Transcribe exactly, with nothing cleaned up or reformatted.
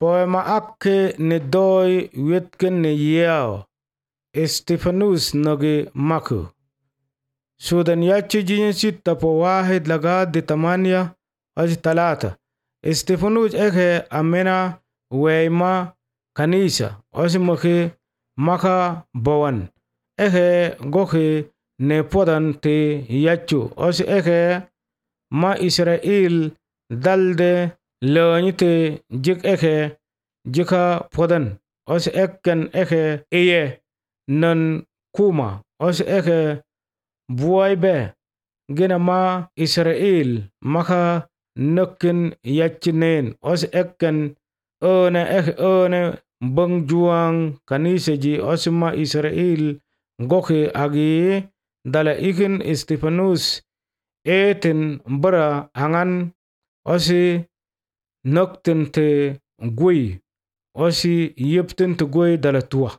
Poema akke ne doi wetken ne yeo. Stephanus noge maku. Sudan yachi jinsi tapo wahid lagad tamania aji talata. Stephanus eke amena weima kanisa osi maki maka bawan. Eke goki ne podan te yachu osi eke ma Israel dalde leonyite jik eke jika podan osi eken eke iye nan kuma osi eke buaibe gina ma Israel maka nukin yachinen osi eken one eke one bang juang kanisa ji osi ma Israel goki agi dala ikin Stephanus etin bara angan osi nuktin te gui osi yiptin te gui dala tua.